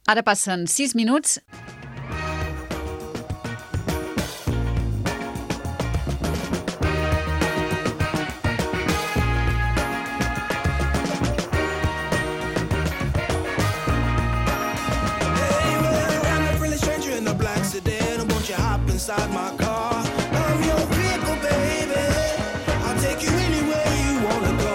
Ara passen 6 minuts. Inside my car, I'm your vehicle, baby. I'll take you anywhere you wanna go.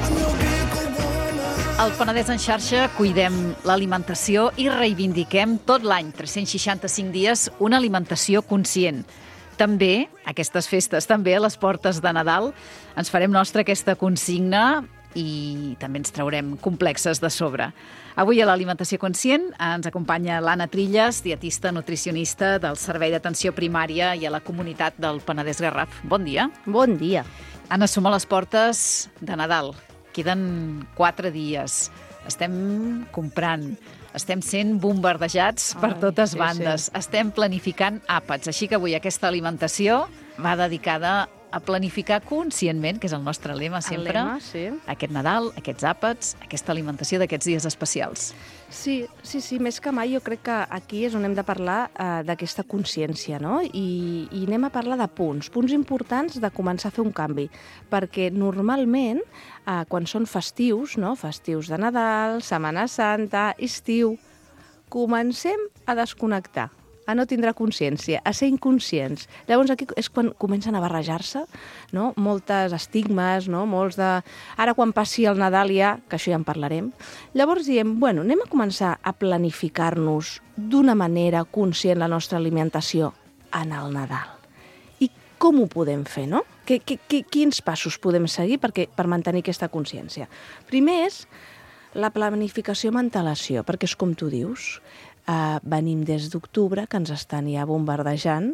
I'm your vehicle, woman. Al Penedès en xarxa cuidem l'alimentació i reivindiquem tot l'any, 365 dies, una alimentació conscient. També, aquestes festes, també a les portes de Nadal, ens farem nostra aquesta consigna i també ens traurem complexes de sobre. Avui a l'Alimentació Conscient ens acompanya l'Anna Trilles, dietista nutricionista del Servei d'Atenció Primària i a la comunitat del Penedès Garraf. Bon dia. Bon dia. Anna, som a les portes de Nadal. Queden 4 dies. Estem comprant, estem sent bombardejats per totes bandes. Sí. Estem planificant àpats. Així que avui aquesta alimentació va dedicada a planificar conscientment, que és el nostre lema sempre, aquest Nadal, aquests àpats, aquesta alimentació d'aquests dies especials. Sí, més que mai jo crec que aquí és on hem de parlar d'aquesta consciència, no? I anem a parlar de punts importants de començar a fer un canvi, perquè normalment, quan són festius, no? Festius de Nadal, Setmana Santa, estiu, comencem a desconnectar, a no tindre consciència, a ser inconscients. Llavors aquí és quan comencen a barrejar-se, no? Moltes estigmes, no? Molts de... Ara quan passi el Nadal ja, que això ja en parlarem, llavors diem, bueno, anem a començar a planificar-nos d'una manera conscient la nostra alimentació en el Nadal. I com ho podem fer, no? Quins passos podem seguir per mantenir aquesta consciència? Primer és la planificació amb antelació, perquè és com tu dius, venim des d'octubre, que ens estan ja bombardejant,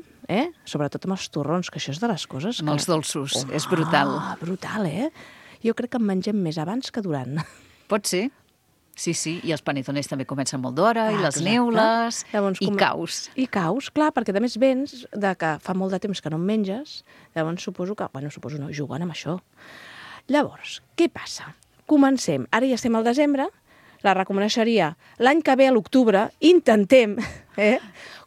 sobretot amb els torrons, que això és de les coses... Amb els dolços, és brutal. Brutal, Jo crec que en mengem més abans que durant. Pot ser. Sí, i els panetones també comencen molt d'hora, i les neules, llavors, i caus. I caus, clar, perquè a més vens de que fa molt de temps que no en menges, llavors suposo que, jugant amb això. Llavors, què passa? Comencem, ara ja estem al desembre, la recomanació seria, l'any que ve a l'octubre, intentem,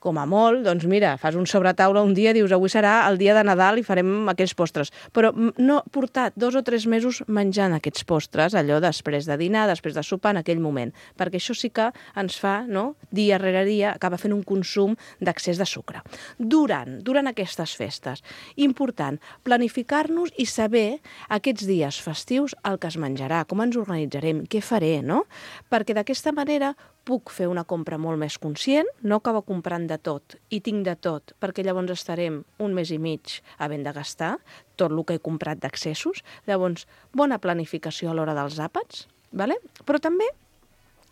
com a molt, doncs mira, fas un sobretaula un dia, dius, avui serà el dia de Nadal i farem aquells postres. Però no portar 2 o 3 mesos menjant aquests postres, allò després de dinar, després de sopar, en aquell moment, perquè això sí que ens fa, no?, dia rere dia, acaba fent un consum d'excés de sucre. Durant aquestes festes, important, planificar-nos i saber aquests dies festius el que es menjarà, com ens organitzarem, què faré, no? Perquè d'aquesta manera puc fer una compra molt més conscient, no acabo comprant de tot i tinc de tot, perquè llavors estarem un mes i mig havent de gastar tot el que he comprat d'excessos. Llavors, bona planificació a l'hora dels àpats, ¿vale? Però també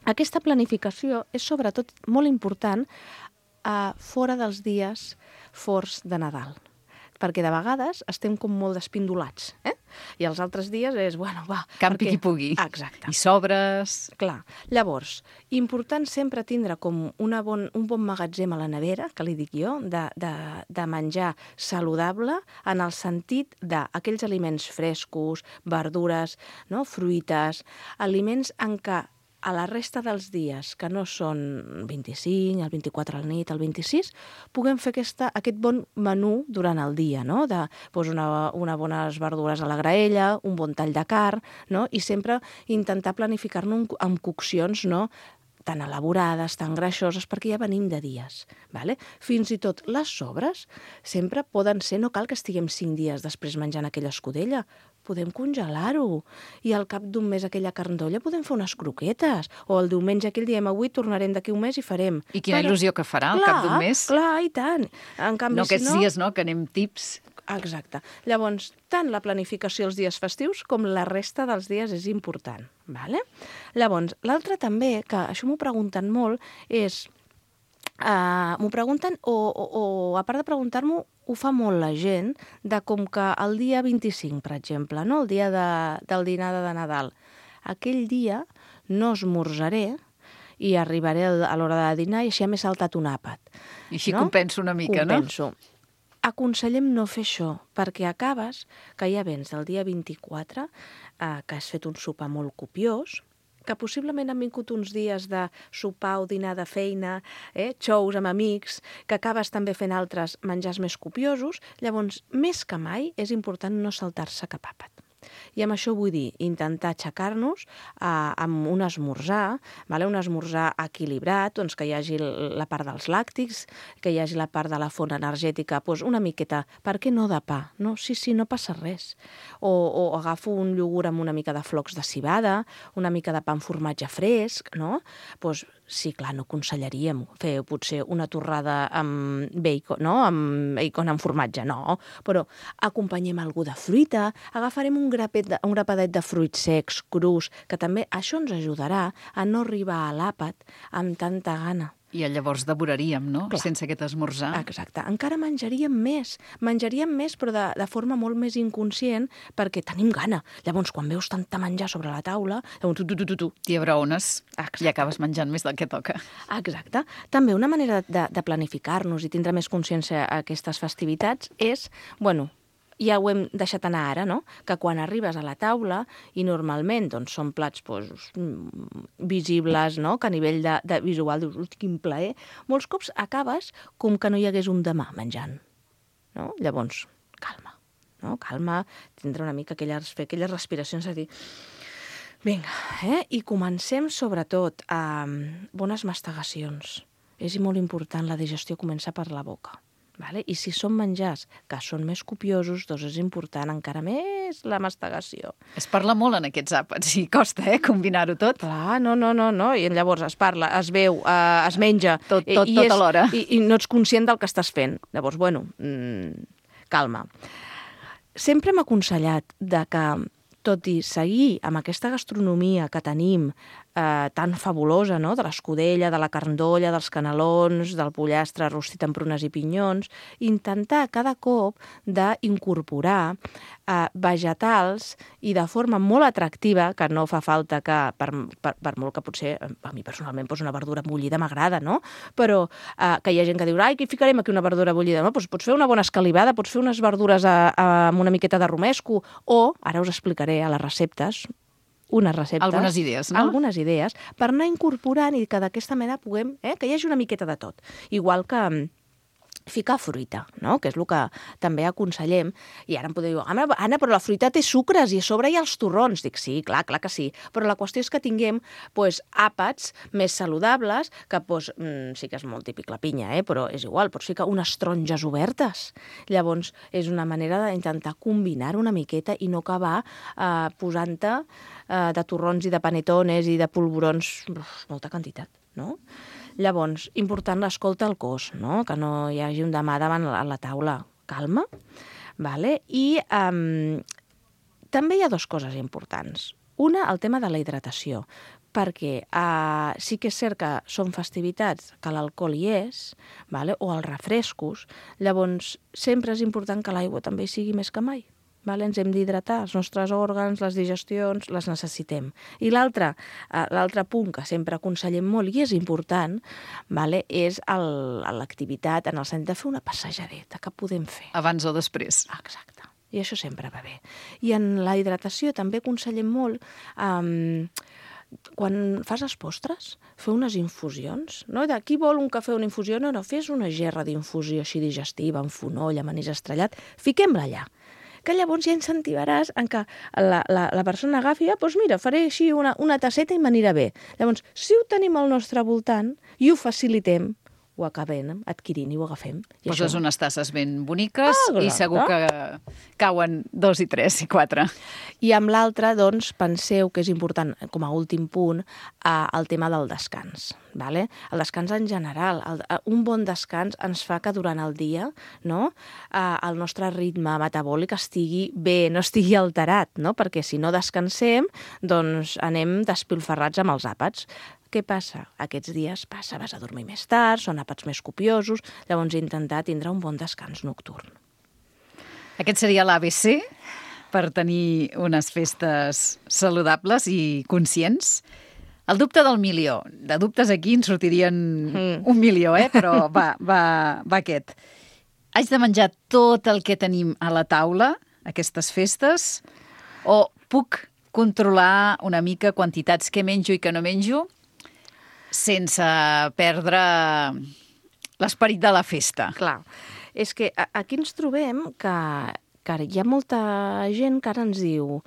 aquesta planificació és sobretot molt important fora dels dies forts de Nadal, perquè de vegades estem com molt despindolats, I els altres dies és, campi qui pugui. Exacte. I sobres. Clar. Llavors, important sempre tindre com un bon magatzem a la nevera, que li dic jo, de menjar saludable en el sentit d'aquells aliments frescos, verdures, no? Fruites, aliments en què a la resta dels dies, que no són 25, el 24 a la nit, el 26, puguem fer aquest bon menú durant el dia, no? Una bones verdures a la graella, un bon tall de carn, no? I sempre intentar planificar-nos amb coccions, no?, tan elaborades, tan greixoses, perquè ja venim de dies. Vale? Fins i tot les sobres sempre poden ser, no cal que estiguem 5 dies després menjant aquella escudella, podem congelar-ho, i al cap d'un mes aquella carn d'olla podem fer unes croquetes, o el diumenge aquell diem, avui tornarem d'aquí un mes i farem. I quina il·lusió que farà al cap d'un mes. Clar, i tant. En canvi, no aquests dies, no?, que anem tips. Exacte. Llavors, tant la planificació els dies festius com la resta dels dies és important. Vale? Llavors, l'altre també, que això m'ho pregunten molt, és... m'ho pregunten, o a part de preguntar-m'ho, ho fa molt la gent, de com que el dia 25, per exemple, no? El dia del dinar de Nadal, aquell dia no esmorzaré i arribaré a l'hora de dinar i així m'he saltat un àpat. I així compenso una mica, no? Compenso. Aconsellem no fer això, perquè acabes que ja vens el dia 24, que has fet un sopar molt copiós, que possiblement han vingut uns dies de sopar o dinar de feina, xous amb amics, que acabes també fent altres menjars més copiosos, llavors, més que mai, és important no saltar-se cap àpat. I amb això vull dir intentar aixecar-nos amb un esmorzar, un esmorzar equilibrat, doncs que hi hagi la part dels làctics, que hi hagi la part de la font energètica, doncs una miqueta, per què no de pa? No? Sí, no passa res. O agafo un iogurt amb una mica de flocs de civada, una mica de pa amb formatge fresc, no? Doncs sí, clar, no aconsellaríem fer potser una torrada amb bacon, no? Amb bacon amb formatge, no. Però acompanyem algú de fruita, agafarem un grapadet de fruits secs, crus, que també això ens ajudarà a no arribar a l'àpat amb tanta gana. I llavors devoraríem, no? Clar. Sense aquest esmorzar. Exacte. Encara menjaríem més però de forma molt més inconscient perquè tenim gana. Llavors, quan veus tanta menjar sobre la taula, llavors tu. T'hi abraones Exacte. i acabes menjant més del que toca. Exacte. També una manera de planificar-nos i tindre més consciència a aquestes festivitats és, ja ho hem deixat anar ara, no? Que quan arribes a la taula, i normalment doncs, són plats visibles, no? Que a nivell de visual dius, quin plaer, molts cops acabes com que no hi hagués un demà menjant. No? Llavors, calma. No? Calma, tindre una mica fer aquelles respiracions, a dir, vinga, i comencem sobretot amb bones mastegacions. És molt important, la digestió comença per la boca. Vale? I si són menjars que són més copiosos, doncs és important encara més la mastegació. Es parla molt en aquests àpats i costa, combinar-ho tot. Clar, no. I llavors es parla, es veu, es menja. Tot alhora. I no ets conscient del que estàs fent. Llavors, calma. Sempre hem aconsellat que, tot i seguir amb aquesta gastronomia que tenim tan fabulosa, no? De l'escudella, de la carndolla, dels canelons, del pollastre rostit amb prunes i pinyons, intentar cada cop d'incorporar vegetals i de forma molt atractiva, que no fa falta que, per molt que potser, a mi personalment, una verdura bullida m'agrada, no? Però que hi ha gent que diu, ai, què ficarem aquí una verdura bullida? No? Doncs pots fer una bona escalivada, pots fer unes verdures amb una miqueta de romesco, o, ara us explicaré a les receptes, unes receptes. Algunes idees, no? Algunes idees, per anar incorporant i que d'aquesta manera puguem, que hi hagi una miqueta de tot. Igual que ficar fruita, no? Que és el que també aconsellem. I ara em podeu dir, Anna, però la fruita té sucres i a sobre hi ha els torrons. Dic, sí, clar que sí. Però la qüestió és que tinguem àpats més saludables, que sí que és molt típic la pinya, però és igual, pots ficar unes taronges obertes. Llavors, és una manera d'intentar combinar una miqueta i no acabar posant-te de torrons i de panetones i de polvorons molta quantitat, no? Llavors, important l'escolta al cos, no? Que no hi hagi un demà davant la taula. Calma, vale? I també hi ha dues coses importants. Una, el tema de la hidratació, perquè sí que és cert que són festivitats que l'alcohol hi és, vale? O els refrescos, llavors sempre és important que l'aigua també sigui més que mai. Vale? Ens hem d'hidratar, els nostres òrgans, les digestions, les necessitem. I l'altre punt que sempre aconsellem molt, i és important, vale? És l'activitat en el sentit de fer una passejadeta, que podem fer. Abans o després. Exacte. I això sempre va bé. I en la hidratació també aconsellem molt quan fas els postres, fer unes infusions, no? De qui vol un cafè o una infusió? No, fes una gerra d'infusió així digestiva, amb fonoll, amb anís estrellat, fiquem-la allà. Que llavors ja incentivaràs en que la persona agafi, doncs mira, faré així una tasseta i m'anirà bé. Llavors, si ho tenim al nostre voltant i ho facilitem, ho acabem adquirint i ho agafem. Poses unes tasses ben boniques i segur que cauen 2 i 3 i 4. I amb l'altre, doncs, penseu que és important, com a últim punt, el tema del descans. Vale? El descans en general. Un bon descans ens fa que durant el dia, no, el nostre ritme metabòlic estigui bé, no estigui alterat, no? Perquè si no descansem, doncs anem despilferrats amb els àpats. Què passa? Aquests dies vas a dormir més tard, són àpats més copiosos, llavors intentar tindre un bon descans nocturn. Aquest seria l'ABC per tenir unes festes saludables i conscients. El dubte del milió. De dubtes aquí en sortirien 1.000.000, però va aquest. Haig de menjar tot el que tenim a la taula, aquestes festes, o puc controlar una mica quantitats que menjo i que no menjo sense perdre l'esperit de la festa. Clar, és que aquí ens trobem que hi ha molta gent que ara ens diu...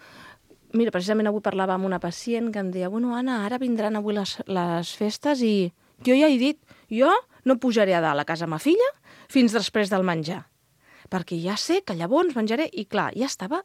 Mira, precisament avui parlava amb una pacient que em deia bueno, Anna, ara vindran avui les festes i jo ja he dit, jo no pujaré a dalt a casa ma filla fins després del menjar, perquè ja sé que llavors menjaré. I clar, ja estava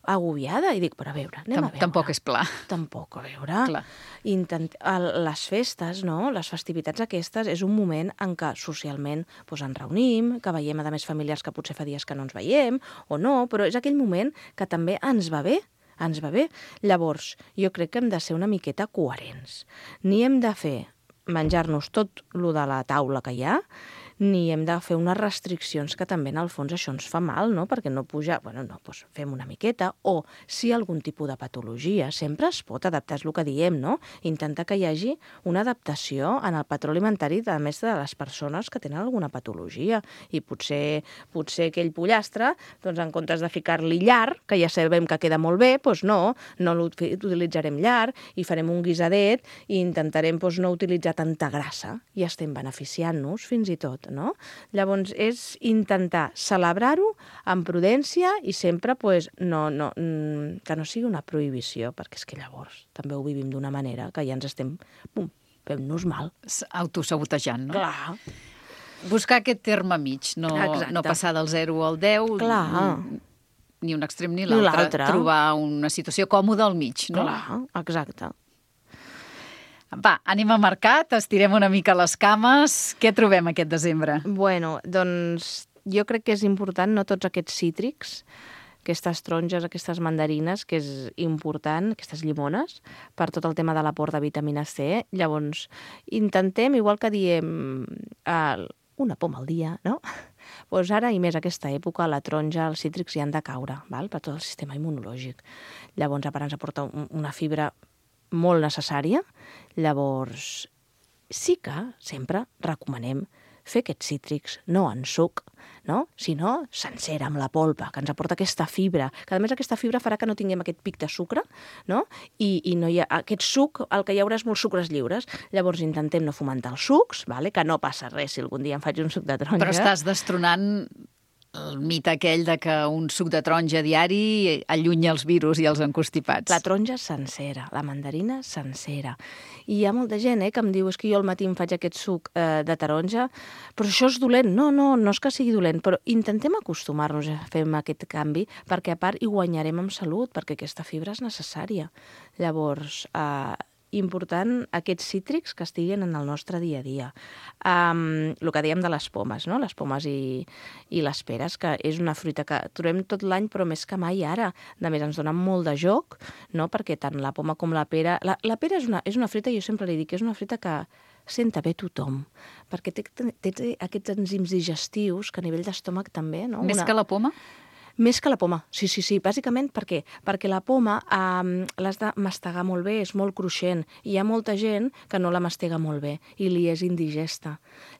agobiada i dic, però a veure, anem a veure. Tampoc és pla. Tampoc, a veure. Clar. Les festes, no? Les festivitats aquestes és un moment en què socialment ens reunim, que veiem a més familiars que potser fa dies que no ens veiem o no, però és aquell moment que també ens va bé. Ens va bé. Llavors, jo crec que hem de ser una miqueta coherents. Ni hem de fer menjar-nos tot lo de la taula que hi ha, ni hem de fer unes restriccions que també en el fons això ens fa mal, no? Perquè no pujar... Bueno, no, doncs fem una miqueta. O si hi ha algun tipus de patologia, sempre es pot adaptar, és el que diem, no? Intentar que hi hagi una adaptació en el patró alimentari a més de les persones que tenen alguna patologia. I potser aquell pollastre, doncs en comptes de ficar-li llar, que ja sabem que queda molt bé, doncs no l'utilitzarem llar i farem un guisadet i intentarem no utilitzar tanta grassa i estem beneficiant-nos fins i tot. No? Llavors, és intentar celebrar-ho amb prudència i sempre que no sigui una prohibició, perquè és que llavors també ho vivim d'una manera que ja ens estem fent-nos mal. Autosabotejant, no? Clar. Buscar aquest terme mig, no passar del 0 al 10, clar. Ni un extrem ni l'altre. Trobar una situació còmoda al mig, no? Clar, exacte. Va, anem a mercat, estirem una mica les cames. Què trobem aquest desembre? Bueno, doncs jo crec que és important no tots aquests cítrics, aquestes taronges, aquestes mandarines, que és important, aquestes llimones, per tot el tema de l'aport de vitamina C. Llavors, intentem, igual que diem una poma al dia, no? Doncs ara, i més aquesta època, la taronja, els cítrics hi han de caure, val? Per tot el sistema immunològic. Llavors, a part ens aporta una fibra molt necessària. Llavors, sí que sempre recomanem fer aquests cítrics no en suc, no? Sinó sencera, amb la polpa, que ens aporta aquesta fibra, que a més aquesta fibra farà que no tinguem aquest pic de sucre, no? I no hi ha aquest suc, el que hi haurà és molts sucres lliures. Llavors intentem no fomentar els sucs, vale? Que no passa res si algun dia em faig un suc de taronja. Però estàs destronant el mite aquell de que un suc de taronja diari allunya els virus i els encostipats. La taronja sencera, la mandarina sencera. I hi ha molta gent que em diu és que jo al matí em faig aquest suc de taronja, però això és dolent. No és que sigui dolent, però intentem acostumar-nos a fer aquest canvi, perquè a part hi guanyarem en salut, perquè aquesta fibra és necessària. Llavors, important aquests cítrics que estiguin en el nostre dia a dia. El que dèiem de les pomes, no? Les pomes i les peres, que és una fruita que trobem tot l'any, però més que mai ara. A més, ens donen molt de joc, no? Perquè tant la poma com la pera... La pera és una fruita, jo sempre li dic, que és una fruita que senta bé tothom, perquè té aquests enzims digestius que a nivell d'estómac també... No? Més que la poma? Més que la poma, sí. Bàsicament, per què? Perquè la poma l'has de mastegar molt bé, és molt cruixent. Hi ha molta gent que no la mastega molt bé i li és indigesta.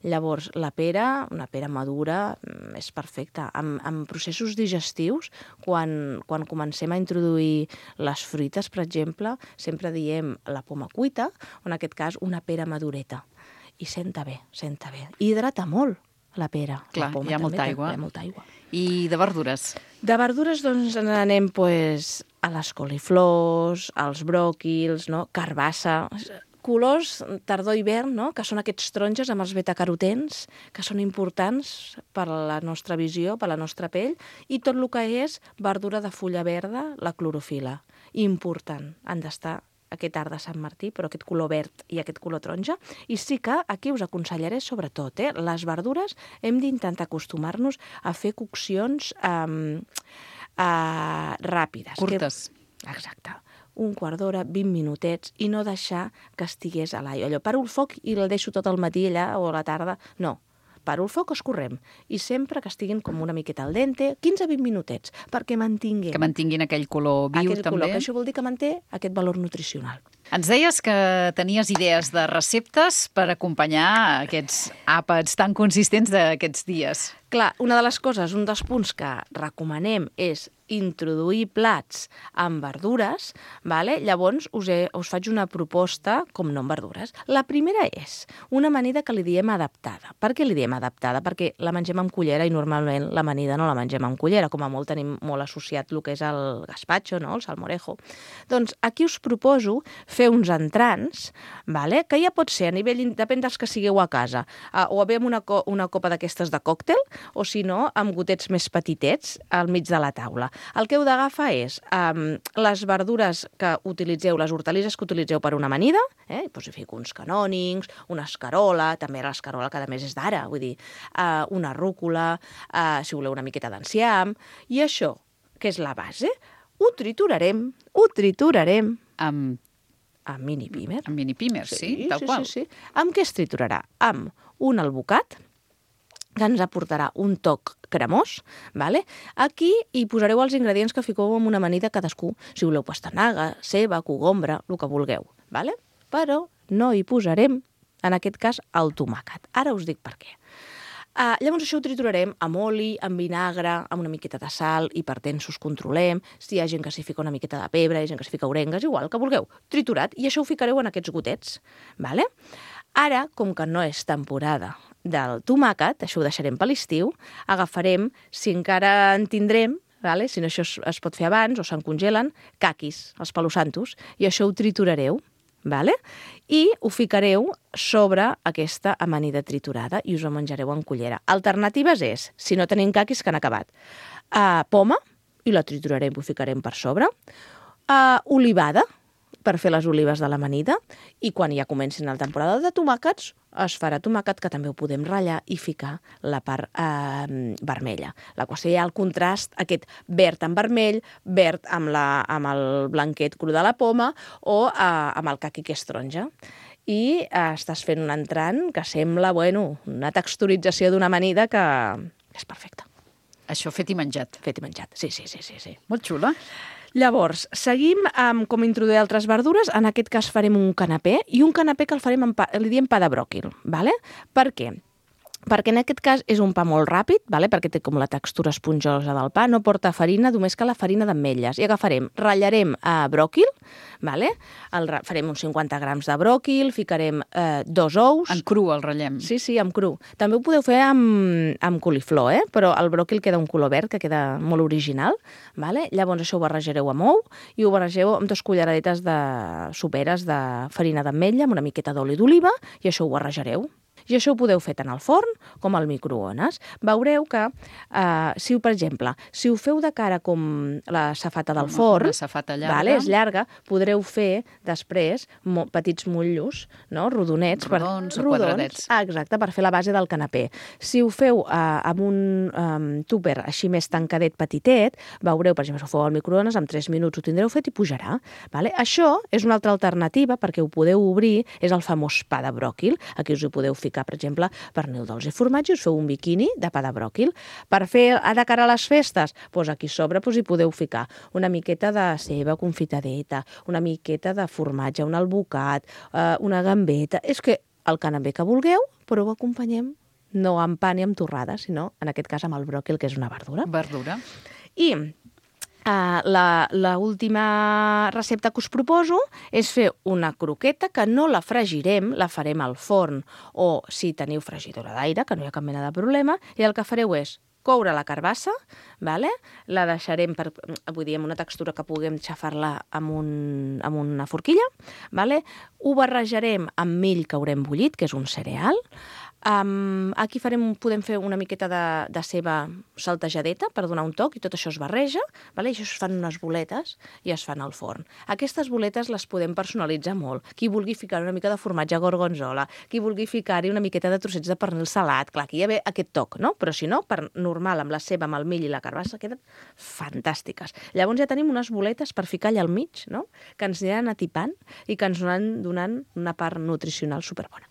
Llavors, la pera, una pera madura, és perfecta. En processos digestius, quan comencem a introduir les fruites, per exemple, sempre diem la poma cuita, o en aquest cas una pera madureta. I senta bé. I hidrata molt la pera. Clar, hi ha molta aigua. I de verdures? De verdures, doncs, anem a les coliflors, als bròquils, no? Carbassa, colors tardor-hivern, no? Que són aquests taronges amb els betacarotens, que són importants per a la nostra visió, per a la nostra pell, i tot el que és verdura de fulla verda, la clorofila. Important, han d'estar aquest art de Sant Martí, però aquest color verd i aquest color taronja. I sí que aquí us aconsellaré, sobretot, les verdures hem d'intentar acostumar-nos a fer coccions ràpides. Curtes. Exacte. Un quart d'hora, 20 minutets, i no deixar que estigués a l'aigua. Allò, paro el foc i el deixo tot el matí allà o a la tarda. No. Paro el foc, escorrem. I sempre que estiguin com una miqueta al dente, 15-20 minutets, perquè mantinguin... Que mantinguin aquell color viu, aquell també. Color, que això vol dir que manté aquest valor nutricional. Ens deies que tenies idees de receptes per acompanyar aquests àpats tan consistents d'aquests dies. Clar, una de les coses, un dels punts que recomanem és introduir plats amb verdures, vale? Llavors us faig una proposta com no amb verdures. La primera és una amanida que li diem adaptada. Per què li diem adaptada? Perquè la mengem amb cullera i normalment l'amanida no la mengem amb cullera, com a molt tenim molt associat el que és el gazpacho, no? El salmorejo. Doncs aquí us proposo fer uns entrants, vale? Que ja pot ser a nivell, depèn dels que sigueu a casa, o bé amb una copa d'aquestes de còctel, o si no, amb gotets més petitets al mig de la taula. El que heu d'agafar és les verdures que utilitzeu, les hortalisses que utilitzeu per una amanida, doncs hi fico uns canònigs, una escarola, també l'escarola que a més és d'ara, vull dir, una rúcula, si voleu una miqueta d'enciam, i això, que és la base, ho triturarem amb mini pímer. Amb mini pímer, sí, tal qual. Sí. Amb què es triturarà? Amb un albocat, que ens aportarà un toc cremós, vale? Aquí hi posareu els ingredients que fiqueu en una amanida cadascú, si voleu pastanaga, ceba, cogombra, el que vulgueu, vale? Però no hi posarem, en aquest cas, el tomàquet. Ara us dic per què. Llavors això ho triturarem amb oli, amb vinagre, amb una miqueta de sal, hipertensos controlem, si hi ha gent que s'hi fica una miqueta de pebre, hi ha gent que s'hi fica orengues, igual, que vulgueu, triturat, i això ho ficareu en aquests gotets, vale? Ara, com que no és temporada del tomàquet, això ho deixarem per l'estiu, agafarem, si encara en tindrem, vale? Si no això es pot fer abans o se'n congelen, caquis, els palo santos, i això ho triturareu, vale? I ho ficareu sobre aquesta amanida triturada i us ho menjareu en cullera. Alternatives és, si no tenim caquis que han acabat, poma, i la triturarem i ho ficarem per sobre, olivada, per fer les olives de l'amanida, i quan ja comencin la temporada de tomàquets, es farà tomàquet, que també ho podem ratllar i ficar la part vermella. La qüestió hi ha el contrast, aquest verd amb vermell, verd amb el blanquet cru de la poma o amb el caqui que és taronja. I estàs fent un entrant que sembla, una texturització d'una amanida que és perfecta. Això fet i menjat. Fet i menjat, sí. Molt xula. Llavors, seguim amb com introduir altres verdures. En aquest cas farem un canapé, i un canapé que el farem li diem pa de bròquil. Vale? Per què? Perquè en aquest cas és un pa molt ràpid, vale? Perquè té com la textura esponjosa del pa, no porta farina, només que la farina d'ametlles. I ratllarem bròquil, vale? Farem uns 50 grams de bròquil, ficarem 2 ous. En cru el ratllem. Sí, amb cru. També ho podeu fer amb coliflor, però el bròquil queda un color verd, que queda molt original. Vale? Llavors això ho barrejareu amb ou i ho barregeu amb 2 culleradetes soperes de farina d'ametlla amb una miqueta d'oli d'oliva, i això ho barrejareu. I això ho podeu fer tant al forn com al microones. Veureu que, per exemple, si ho feu de cara com la safata del forn, una safata llarga, vale, és llarga, podreu fer després petits motllos, no? Rodonets. Rodons o quadradets. Exacte, per fer la base del canapé. Si ho feu amb un tupper així més tancadet, petitet, veureu, per exemple, si ho feu al microones, en 3 minuts ho tindreu fet i pujarà. Vale? Això és una altra alternativa perquè ho podeu obrir, és el famós pa de bròquil. Aquí us hi podeu ficar, per exemple, pernil dolç i formatge, us feu un biquini de pa de bròquil. Per fer de cara a les festes, doncs aquí sobre hi podeu ficar una miqueta de ceba confitadeta, una miqueta de formatge, un albocat, una gambeta. És que el canapé que vulgueu, però ho acompanyem no amb pa ni amb torrada, sinó, en aquest cas, amb el bròquil, que és una verdura. Verdura. I la última recepta que us proposo és fer una croqueta que no la fregirem, la farem al forn, o si teniu fregidora d'aire, que no hi ha cap mena de problema, i el que fareu és coure la carbassa, vale? La deixarem amb una textura que puguem xafar-la amb una forquilla, vale? Ho barrejarem amb mill que haurem bullit, que és un cereal. Aquí podem fer una miqueta de ceba saltejadeta per donar un toc, i tot això es barreja, vale? I això es fan unes boletes i es fan al forn. Aquestes boletes les podem personalitzar molt. Qui vulgui ficar una mica de formatge gorgonzola, qui vulgui ficar-hi una miqueta de trossets de pernil salat, clar, aquí hi ha aquest toc, no? Però si no, per normal, amb la ceba, amb el mill i la carbassa, queden fantàstiques. Llavors ja tenim unes boletes per ficar allà al mig, no? Que ens aniran atipant i que ens aniran donant una part nutricional superbona.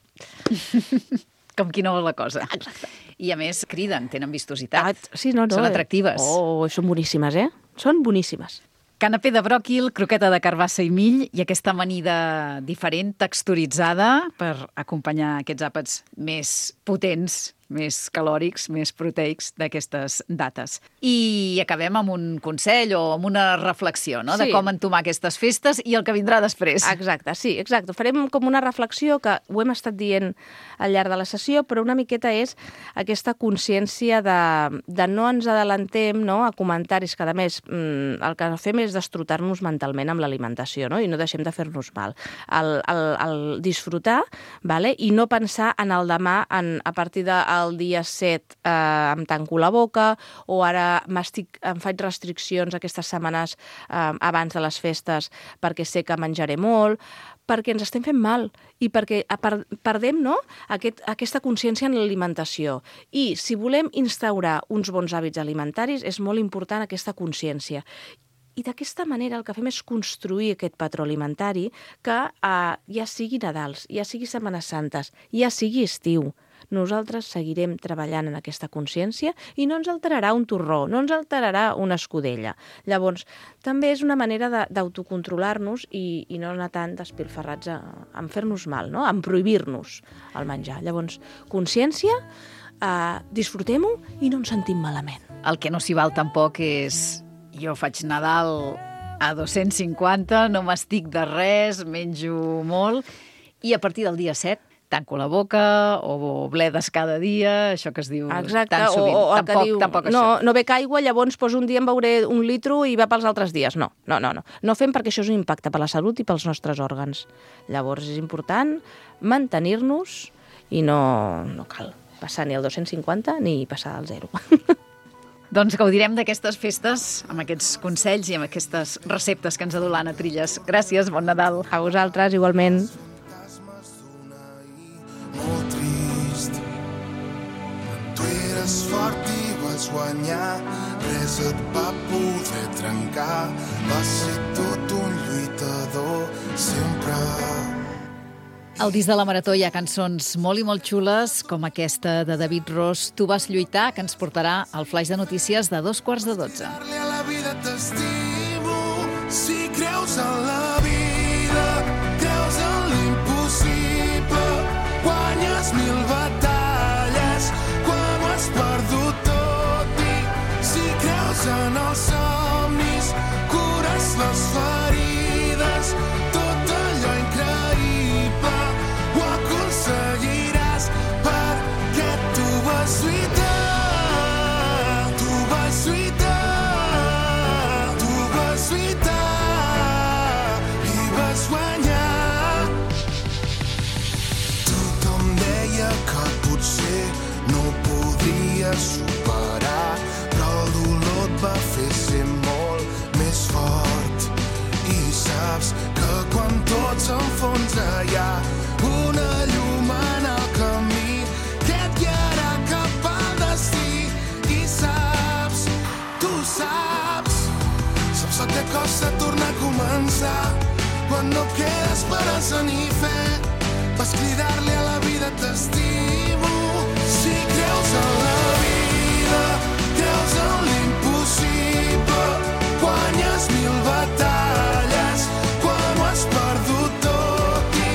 Com qui no vol la cosa. Exacte. I a més criden, tenen vistositat. Sí, no. Són atractives. Són boníssimes, Són boníssimes. Canapé de bròquil, croqueta de carbassa i mill i aquesta amanida diferent, texturitzada, per acompanyar aquests àpats més potents més calòrics, més proteics d'aquestes dates. I acabem amb un consell o amb una reflexió, no?, de com entomar aquestes festes i el que vindrà després. Exacte, sí, exacte. Farem com una reflexió que ho hem estat dient al llarg de la sessió, però una miqueta és aquesta consciència de no ens adelantem, no?, a comentaris que, a més, el que fem és destrotar-nos mentalment amb l'alimentació, no?, i no deixem de fer-nos mal. El disfrutar, vale? I no pensar en el demà, a partir del dia 7 em tanco la boca, o ara em faig restriccions aquestes setmanes abans de les festes perquè sé que menjaré molt, perquè ens estem fent mal i perquè perdem, no?, aquesta consciència en l'alimentació. I si volem instaurar uns bons hàbits alimentaris, és molt important aquesta consciència. I d'aquesta manera el que fem és construir aquest patró alimentari que ja sigui Nadals, ja sigui Setmanes Santes, ja sigui estiu. Nosaltres seguirem treballant en aquesta consciència i no ens alterarà un torró, no ens alterarà una escudella. Llavors, també és una manera d'autocontrolar-nos i no anar tan despilferrats en fer-nos mal, no?, en prohibir-nos el menjar. Llavors, consciència, disfrutem-ho i no ens sentim malament. El que no s'hi val tampoc és: jo faig Nadal a 250, no m'estic de res, menjo molt, i a partir del dia 7 tanco la boca o bledes cada dia, això que es diu tan sovint. O el que diu, tampoc no bec aigua, llavors un dia em beuré 1 litre i va pels altres dies. No. No fem, perquè això és un impacte per la salut i pels nostres òrgans. Llavors és important mantenir-nos i no cal passar ni el 250 ni passar al 0. Doncs gaudirem d'aquestes festes amb aquests consells i amb aquestes receptes que ens ha dut l'Anna Trilles. Gràcies, bon Nadal. A vosaltres, igualment. Molt trist. Tu eres fort i vas guanyar, res et va poder trencar. Vas ser tot un lluitador, sempre. Al disc de la Marató hi ha cançons molt i molt xules, com aquesta de David Ros, Tu vas lluitar, que ens portarà al flaix de notícies de 11:45. A la vida t'estimo, si creus en la vida, creus en l'impossible, guanyes 1000 batalles quan ho has perdut tot, i si creus en els somnis, cures les ferides, tot allò increïble ho aconseguiràs, perquè tu vas lluitar, tu vas lluitar, tu vas lluitar i vas guanyar. Tothom deia que potser no podries superar, però el dolor et va fer ser molt més fort. I saps que quan tot s'enfonsa hi ha una llum en el camí que et guiarà cap al destí. I saps, tu saps el que costa tornar a començar quan no queda esperança ni fe. Vas cridar-li a la vida t'estimo, si creus en la vida, creus en l'impossible, guanyes 1000 batalles quan ho has perdut tot, i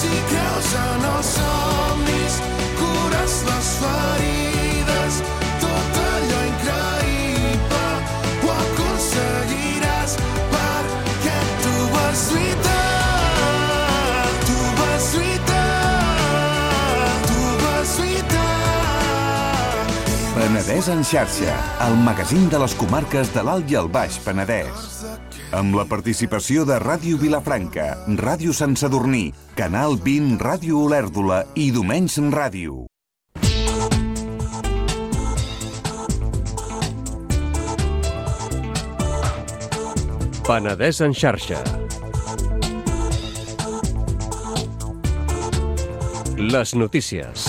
si creus en els somnis, cures les ferides, tot allò increïble ho aconseguiràs, perquè tu vas lluitar, tu vas lluitar, tu vas lluitar. Penedès en xarxa, el magazín de les comarques de l'Alt i el Baix Penedès. Amb la participació de Ràdio Vilafranca, Ràdio Sant Sadurní, Canal 20, Ràdio Olèrdola i Domenys Ràdio. Penedès en xarxa. Les notícies.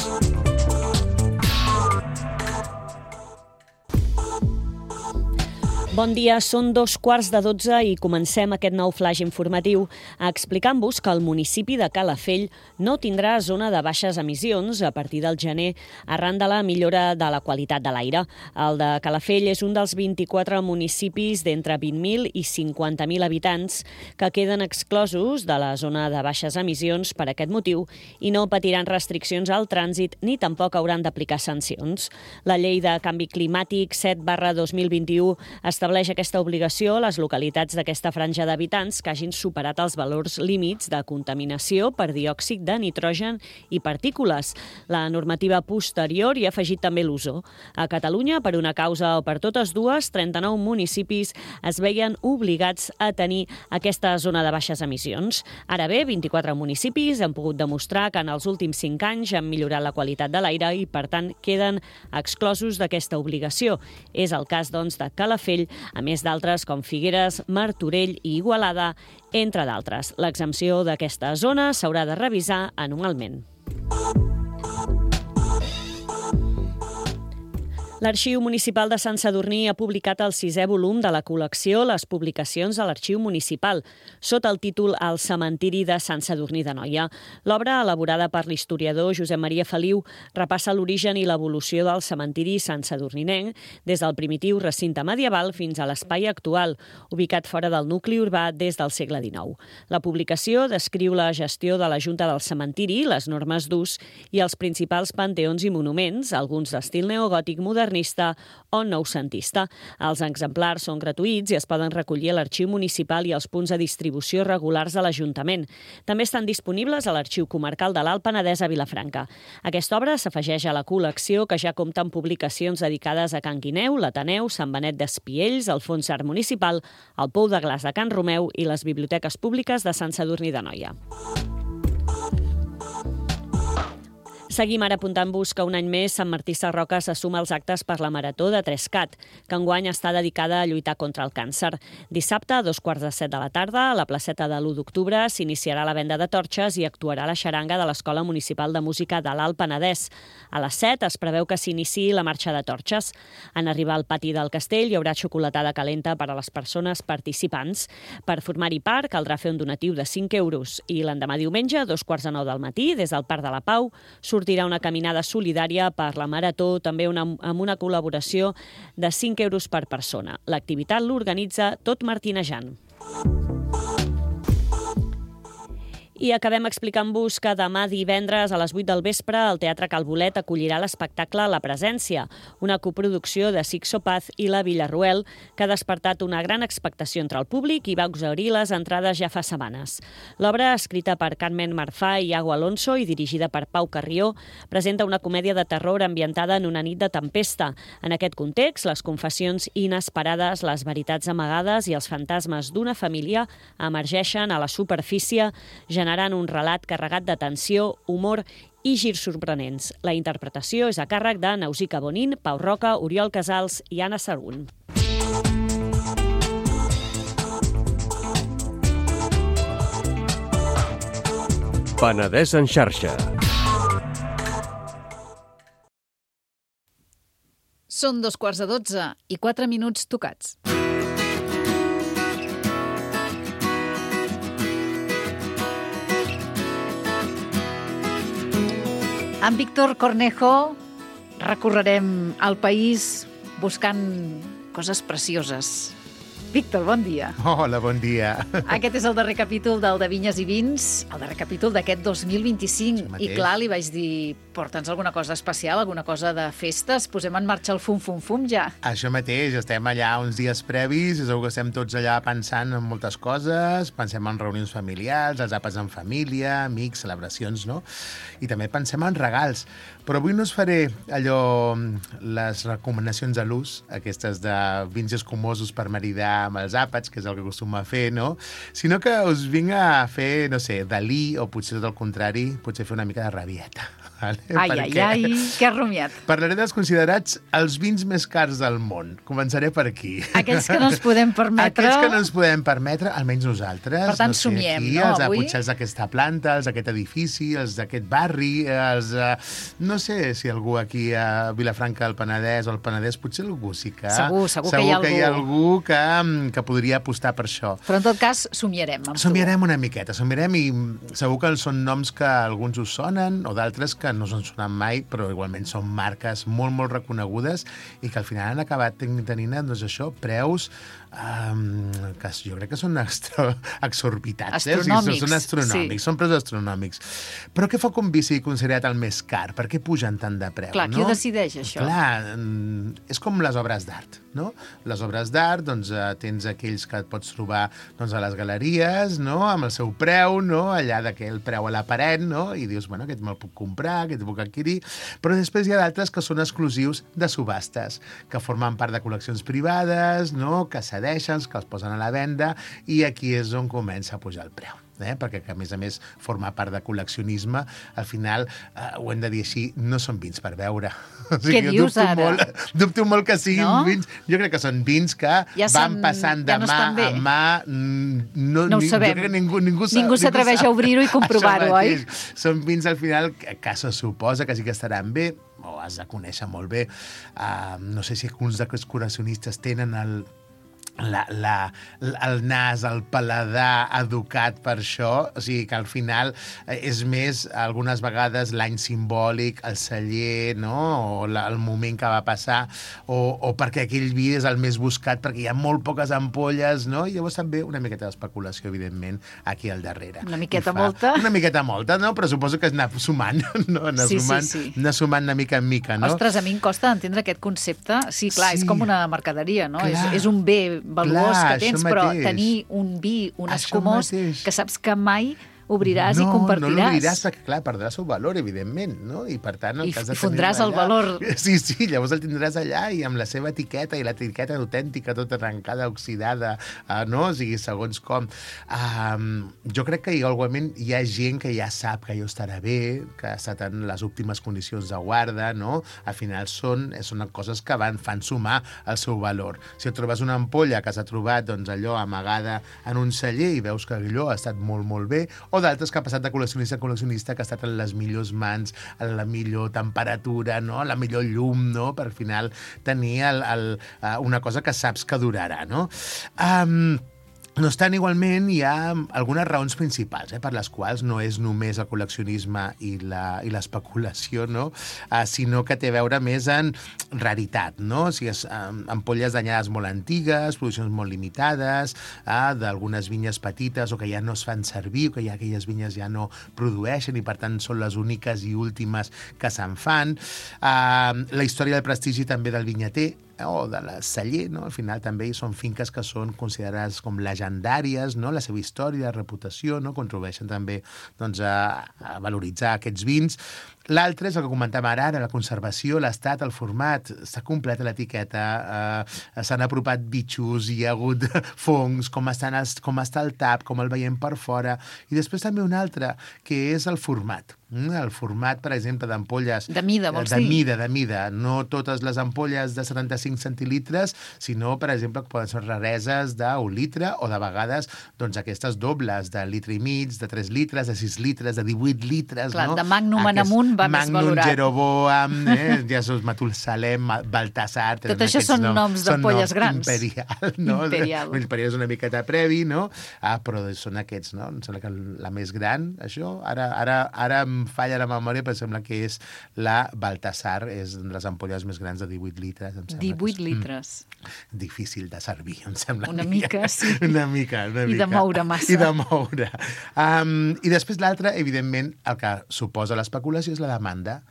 Bon dia, són 2:15 i comencem aquest nou flaix informatiu explicant-vos que el municipi de Calafell no tindrà zona de baixes emissions a partir del gener arran de la millora de la qualitat de l'aire. El de Calafell és un dels 24 municipis d'entre 20.000 i 50.000 habitants que queden exclosos de la zona de baixes emissions per aquest motiu i no patiran restriccions al trànsit ni tampoc hauran d'aplicar sancions. La llei de canvi climàtic 7/2021 estableix aquesta obligació a les localitats d'aquesta franja d'habitants que hagin superat els valors límits de contaminació per diòxid de nitrogen i partícules. La normativa posterior hi ha afegit també l'ozó. A Catalunya, per una causa o per totes dues, 39 municipis es veien obligats a tenir aquesta zona de baixes emissions. Ara bé, 24 municipis han pogut demostrar que en els últims 5 anys han millorat la qualitat de l'aire i, per tant, queden exclosos d'aquesta obligació. És el cas, doncs, de Calafell, a més d'altres com Figueres, Martorell i Igualada, entre d'altres. L'exempció d'aquesta zona s'haurà de revisar anualment. L'Arxiu Municipal de Sant Sadurní ha publicat el 6è volum de la col·lecció Les publicacions de l'Arxiu Municipal, sota el títol El cementiri de Sant Sadurní d'Anoia. L'obra, elaborada per l'historiador Josep Maria Feliu, repassa l'origen i l'evolució del cementiri Sant Sadurninenc des del primitiu recinte medieval fins a l'espai actual, ubicat fora del nucli urbà des del segle XIX. La publicació descriu la gestió de la Junta del Cementiri, les normes d'ús i els principals panteons i monuments, alguns d'estil neogòtic modernista o noucentista. Els exemplars són gratuïts i es poden recollir a l'Arxiu Municipal i als punts de distribució regulars de l'Ajuntament. També estan disponibles a l'Arxiu Comarcal de l'Alt Penedès a Vilafranca. Aquesta obra s'afegeix a la col·lecció que ja compta amb publicacions dedicades a Can Guineu, l'Ateneu, Sant Benet d'Espiells, el Fons Art Municipal, el Pou de Glaç de Can Romeu i les biblioteques públiques de Sant Sadurní d'Anoia. Seguim ara apuntant-vos que un any més Sant Martí Sarroca se suma als actes per la Marató de 3CAT, que enguany està dedicada a lluitar contra el càncer. Dissabte, a 2:45 de la tarda, a la placeta de l'1 d'octubre, s'iniciarà la venda de torxes i actuarà la xaranga de l'Escola Municipal de Música de l'Alt Penedès. A les 7 es preveu que s'iniciï la marxa de torxes. En arribar al pati del castell hi haurà xocolatada calenta per a les persones participants. Per formar-hi part caldrà fer un donatiu de 5 euros i l'endemà diumenge, a 2:45 del matí, des del Parc de la Pau, sortirà una caminada solidària per la Marató, també amb una col·laboració de 5 euros per persona. L'activitat l'organitza Tot Martinejant. I acabem explicant-vos que demà divendres a les 8 del vespre el Teatre Calbolet acollirà l'espectacle La Presència, una coproducció de Sixto Paz i la Villarroel que ha despertat una gran expectació entre el públic i va exhaurir les entrades ja fa setmanes. L'obra, escrita per Carmen Marfà i Iago Alonso i dirigida per Pau Carrió, presenta una comèdia de terror ambientada en una nit de tempesta. En aquest context, les confessions inesperades, les veritats amagades i els fantasmes d'una família emergeixen a la superfície, generant un relat carregat de tensió, humor i girs sorprenents. La interpretació és a càrrec de Nausica Bonin, Pau Roca, Oriol Casals i Anna Sarun. Penedès en xarxa. Són 2:15 i 4 minuts tocats. Amb Víctor Cornejo recorrerem el país buscant coses precioses. Víctor, bon dia. Hola, bon dia. Aquest és el darrer capítol del de Vinyes i Vins, el darrer capítol d'aquest 2025. I clar, li vaig dir, porta'ns alguna cosa especial, alguna cosa de festes, posem en marxa el fum ja. Això mateix, estem allà uns dies previs, segur que estem tots allà pensant en moltes coses, pensem en reunions familiars, els àpats en família, amics, celebracions, no? I també pensem en regals. Però avui no us faré allò, les recomanacions de l'ús, aquestes de vins escumosos per maridar amb els àpats, que és el que acostuma a fer, no? Sinó que us vinc a fer, no sé, Dalí, o potser tot el contrari, potser fer una mica de rabieta. Vale? Ai, què has rumiat? Parlaré dels considerats els vins més cars del món. Començaré per aquí. Aquells que no ens podem permetre... Aquells que no ens podem permetre, almenys nosaltres. Per tant, somiem, aquí, no, avui? avui? Potser els d'aquesta planta, els d'aquest edifici, els d'aquest barri, els... no sé si algú aquí a Vilafranca del Penedès o al Penedès, potser algú sí que... Segur que hi ha algú que podria apostar per això. Però en tot cas, somiarem amb tu. Somiarem una miqueta, somiarem i segur que són noms que alguns us sonen o d'altres que no s'han sonat mai, però igualment són marques molt, molt reconegudes i que al final han acabat tenint, doncs això, preus que jo crec que són exorbitats. Astronòmics. Són astronòmics, són preus astronòmics. Però què fa que un vi sigui considerat el més car? Per què pugen tant de preu? Clar, qui ho decideix, això? Clar, és com les obres d'art, no? Les obres d'art, doncs, tens aquells que et pots trobar doncs, a les galeries, no? Amb el seu preu, no? Allà d'aquell preu a la paret, no? I dius, bueno, aquest me'l puc comprar, aquest el puc adquirir, però després hi ha d'altres que són exclusius de subhastes, que formen part de col·leccions privades, no? Que cedeixen, que els posen a la venda, i aquí és on comença a pujar el preu. Perquè, a més, forma part de col·leccionisme. Al final, ho hem de dir així, no són vins per beure. Què dius ara? Dubto molt que siguin vins. Jo crec que són vins que van passant de mà a mà. No ho sabem. Ningú s'atreveix a obrir-ho i comprovar-ho, oi? Són vins, al final, que se suposa que sí que estaran bé, o has de conèixer molt bé. No sé si alguns d'aquests col·leccionistes tenen el nas, el paladar educat per això, o sigui que al final és més, algunes vegades, l'any simbòlic, el celler, no? O el moment que va passar, o perquè aquell vi és el més buscat, perquè hi ha molt poques ampolles, no? I llavors també una miqueta d'especulació, evidentment, aquí al darrere. Una miqueta molta? Una miqueta molta, no? Però suposo que és anar sumant, no? Anar sumant de mica en mica, no? Ostres, a mi em costa entendre aquest concepte. Sí, clar, és com una mercaderia, no? És un bé valuós que tens, però tenir un vi, un escumós, que saps que mai obriràs i compartiràs. No l'obriràs perquè, clar, perdrà el seu valor, evidentment, no? I, per tant, I fondràs el valor. Sí, llavors el tindràs allà i amb la seva etiqueta, i l'etiqueta autèntica, tota arrencada, oxidada, no? O sigui, segons com. Jo crec que igualment hi ha gent que ja sap que allò estarà bé, que ha estat en les últimes condicions de guarda, no? Al final són coses que fan sumar el seu valor. Si et trobes una ampolla que s'ha trobat, doncs, allò amagada en un celler i veus que allò ha estat molt, molt bé, o d'altres que ha passat de col·leccionista a col·leccionista, que ha estat en les millors mans, a la millor temperatura, no? La millor llum, no? Per al final tenir una cosa que saps que durarà, no? No obstant, igualment, hi ha algunes raons principals per les quals no és només el col·leccionisme i l'especulació, no? Sinó que té a veure més en raritat, no? O sigui, ampolles danyades molt antigues, produccions molt limitades, d'algunes vinyes petites o que ja no es fan servir, o que ja aquelles vinyes ja no produeixen i, per tant, són les úniques i últimes que se'n fan. La història del prestigi també del vinyater, o de la celler, no? Al final també són finques que són considerades com legendàries, no? La seva història, la reputació, no? Contribueixen també doncs, a valoritzar aquests vins. L'altre és el que comentàvem ara, la conservació, l'estat, el format. Està completa l'etiqueta, s'han apropat bitxos, hi ha hagut fongs, com està el tap, com el veiem per fora. I després també un altre, que és el format. El format, per exemple, d'ampolles... De mida, vols dir? De mida. No totes les ampolles de 75 centilitres, sinó, per exemple, que poden ser rareses d'1 litre o de vegades doncs, aquestes dobles de litre i mig, de 3 litres, de 6 litres, de 18 litres. Clar, no? De Magnum en amunt va més valorat. Magnum, Jeroboam, Jesús Matulsalem, Baltasar... Tot això són noms d'ampolles grans. Imperial, no? Imperial. Imperial és una miqueta previ, no? Però són aquests, no? Em sembla que la més gran, això, ara em falla la memòria, però sembla que és la Baltasar, és de les ampolles més grans de 18 litres. 18 litres. Difícil de servir, em sembla. Una mica, sí. Una mica. I de moure massa. I de moure. I després l'altre, evidentment, el que suposa l'especulació és la demanda.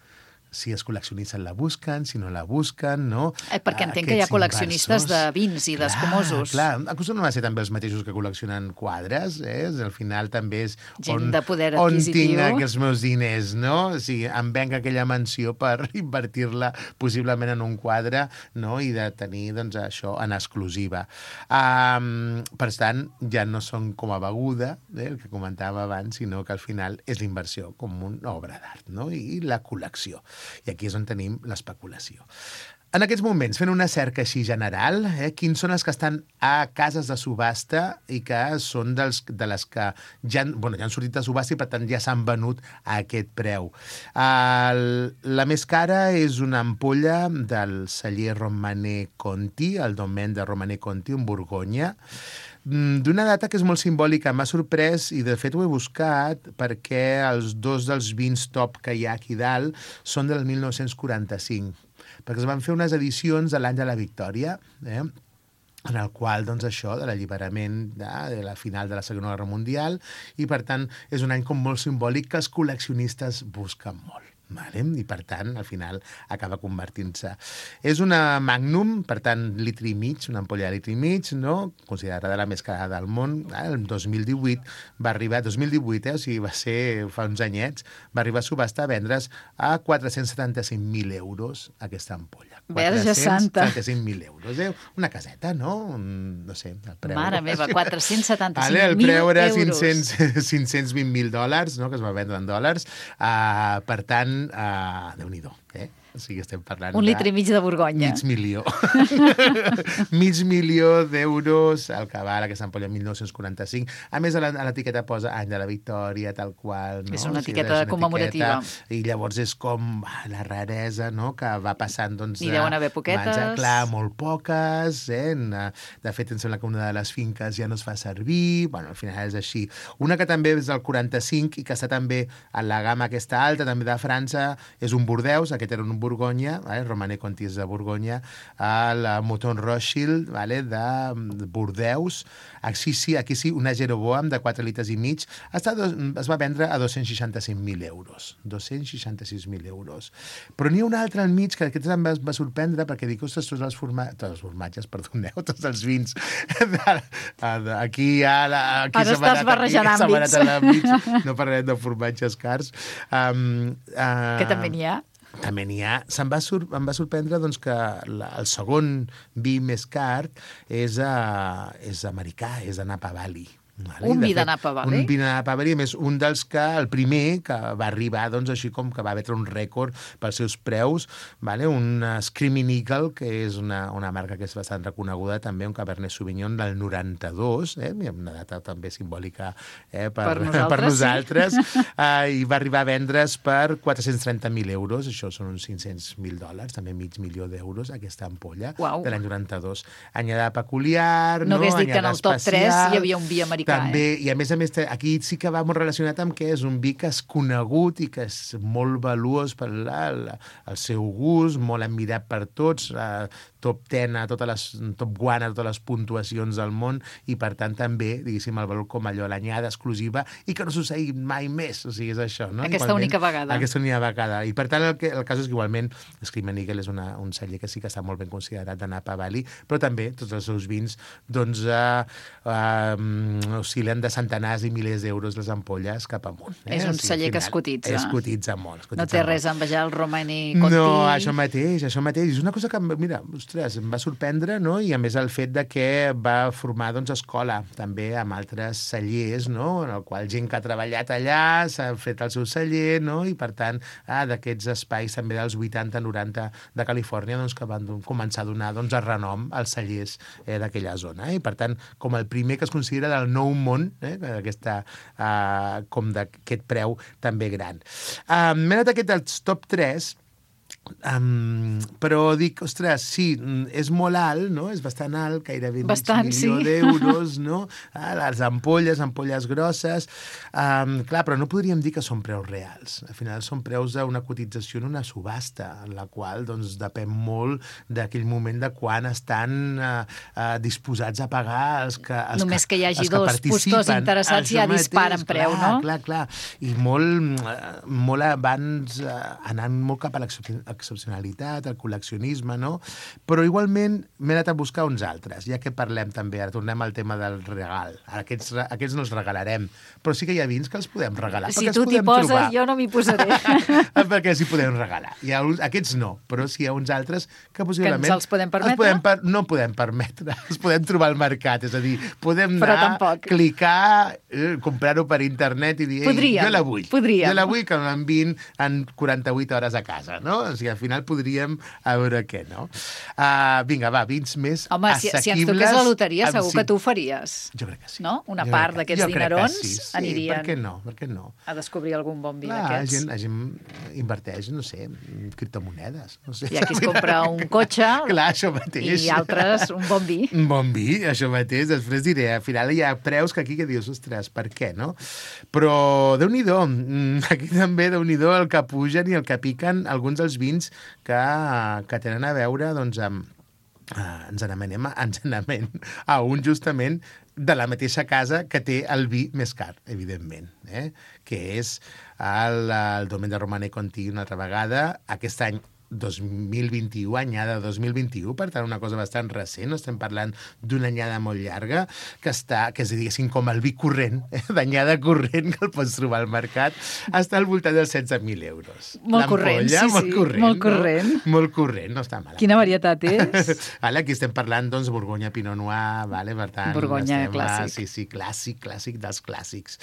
si els col·leccionistes la busquen, si no la busquen, no? Perquè entenc que hi ha col·leccionistes de vins i d'escumosos. Clar, acostumen a ser també els mateixos que col·leccionen quadres, al final també és gent de poder on adquisitiu. tinc els meus diners, no? O sigui, em venc aquella mansió per invertir-la possiblement en un quadre, no? I de tenir, doncs, això en exclusiva. Per tant, ja no són com a beguda, el que comentàvem abans, sinó que al final és l'inversió com una obra d'art, no? I la col·lecció. I aquí és on tenim l'especulació. En aquests moments, fent una cerca així general, quins són els que estan a cases de subhasta i que són de les que ja han sortit de subhasta i per tant ja s'han venut a aquest preu. La més cara és una ampolla del celler Romanè Conti, el domaine de Romanè Conti, en Borgonya, d'una data que és molt simbòlica. M'ha sorprès, i de fet ho he buscat, perquè els dos dels vins top que hi ha aquí dalt són del 1945, perquè es van fer unes edicions de l'any de la Victòria, en el qual, doncs, això, de l'alliberament de la final de la Segona Guerra Mundial, i, per tant, és un any com molt simbòlic que els col·leccionistes busquen molt. Vale? I, per tant, al final acaba convertint-se. És una Magnum, per tant, litre i mig, una ampolla de litre i mig, no? Considerada la més cara del món. El 2018 va arribar, 2018, o sigui, va ser fa uns anyets, va arribar a subhasta a vendre's a 475.000 euros aquesta ampolla. Verge Santa. 475.000 euros. Una caseta, no? No sé, el preu. Mare meva, 475.000 euros. El preu era 520.000 dòlars, no? Que es va vendre en dòlars. Per tant, Déu-n'hi-do, O sigui, estem parlant un litre i mig de Borgonya. Mig milió. Mig milió d'euros al que val aquesta ampolla 1945. A més, a l'etiqueta posa any de la Victòria, tal qual. No? És una etiqueta commemorativa. I llavors és com la raresa, no?, que va passant, doncs... N'hi deuen haver poquetes. Clar, molt poques. De fet, em sembla que una de les finques ja no es fa servir. Bueno, al final és així. Una que també és del 45 i que està també a la gamma aquesta alta, també de França, és un Bordeus. Aquest era un Borgonya, Romanè Conti és de Borgonya, la Mouton Rothschild, de Bordeus. Aquí sí, una Jeroboam de 4 litres i mig. Es va vendre a 265.000 euros. 266.000 euros. Però n'hi ha un altre al mig que aquest em va sorprendre perquè dic, ostres, tots els formatges, perdoneu, tots els vins. Aquí ara estàs barrejant àmbits. No parlarem de formatges cars. Que també n'hi ha. També n'hi ha. Em va sorprendre doncs, que el segon vi més car és americà, és de Napa Valley. Un vi de Napa Valley? Un vi de Napa Valley, a més, un dels que, el primer que va arribar, doncs, així com que va batre un rècord pels seus preus, un Screaming Eagle, que és una marca que és bastant reconeguda, també, un Cabernet Sauvignon del 92, una data també simbòlica per nosaltres, i va arribar a vendre's per 430.000 euros, això són uns 500.000 dòlars, també mig milió d'euros, aquesta ampolla, de l'any 92. Anyada peculiar, no hagués dit que en el top 3 hi havia un vi americà. També, i a més, aquí sí que va molt relacionat amb que és un vi que és conegut i que és molt valuós per el seu gust, molt admirat per tots, top 10, top 1 a totes les puntuacions del món, i per tant també, diguéssim, el valor com allò, l'anyada exclusiva, i que no succeï mai més, o sigui, és això, no? Aquesta única vegada. Aquesta única vegada. I per tant, el cas és que igualment Screaming Eagle és un celler que sí que està molt ben considerat de Napa Valley, però també tots els seus vins, doncs, oscil·len de centenars i milers d'euros les ampolles cap amunt. És un celler que es cotitza. Es cotitza molt. No té res a envejar el Romanè Conti. No, això mateix. És una cosa que, mira, ostres, em va sorprendre, no? I a més el fet de que va formar, doncs, escola també amb altres cellers, no? En el qual gent que ha treballat allà s'ha fet el seu celler, no? I per tant, d'aquests espais també dels 80-90 de Califòrnia, doncs, que van començar a donar, doncs, el renom als cellers d'aquella zona. I per tant, com el primer que es considera del nou món, com d'aquest preu també gran. M'he anat aquest dels top 3, Però dic, ostres, sí, és molt alt, no? És bastant alt, gairebé Bastant, mig milió sí. d'euros, no? Les ampolles grosses. Clar, però no podríem dir que són preus reals. Al final són preus d'una cotització en una subhasta, en la qual doncs, depèn molt d'aquell moment de quan estan disposats a pagar els que Només que hi hagi els que dos participen. postors interessats Això ja disparen preu, no? Clar. I molt abans anant molt cap a l'excepcionalitat, el col·leccionisme, no? Però igualment m'he anat a buscar uns altres, ja que parlem també, ara tornem al tema del regal. Ara aquests no els regalarem, però sí que hi ha vins que els podem regalar. Si tu t'hi poses, jo no m'hi posaré. Perquè els hi podem regalar. Aquests no, però sí hi ha uns altres que possiblement... Que ens els podem permetre? No podem permetre, els podem trobar al mercat, és a dir, podem Però anar, tampoc. clicar, comprar-ho per internet i dir, jo la vull. Podríem. Jo la vull que m'enviïn en 48 hores a casa, no? O sigui, al final podríem a veure què, no? Vinga, va, vins més Home, assequibles. si ens toqués la loteria, segur sí. que tu ho faries. Jo crec que sí. No? Una Jo part crec d'aquests jo crec que dinerons sí. anirien Per què no? a descobrir algun bon vi La d'aquests. gent inverteix, no sé, en criptomonedes. No sé. Hi ha qui es compra un cotxe Clar, això mateix. i altres un bon vi. Un bon vi, això mateix. Després diré, al final hi ha preus que aquí que dius, ostres, per què, no? Però Déu-n'hi-do, aquí també Déu-n'hi-do el que pugen i el que piquen alguns dels vins que tenen a veure doncs, amb ens n'amenem a un justament de la mateixa casa que té el vi més car, evidentment, que és el Domaine de Romanée Conti una altra vegada, aquest any 2021, anyada 2021, per tant una cosa bastant recent, no estem parlant d'una anyada molt llarga, que és, diguéssim, com el vi corrent, d'anyada corrent que el pots trobar al mercat, està al voltant dels 16.000 euros. Molt corrent, sí, molt corrent, molt corrent. No? Molt corrent, no està malament. Quina varietat és? Aquí estem parlant, doncs, Borgonya Pinot Noir, per tant... Borgonya clàssic. Sí, clàssic dels clàssics.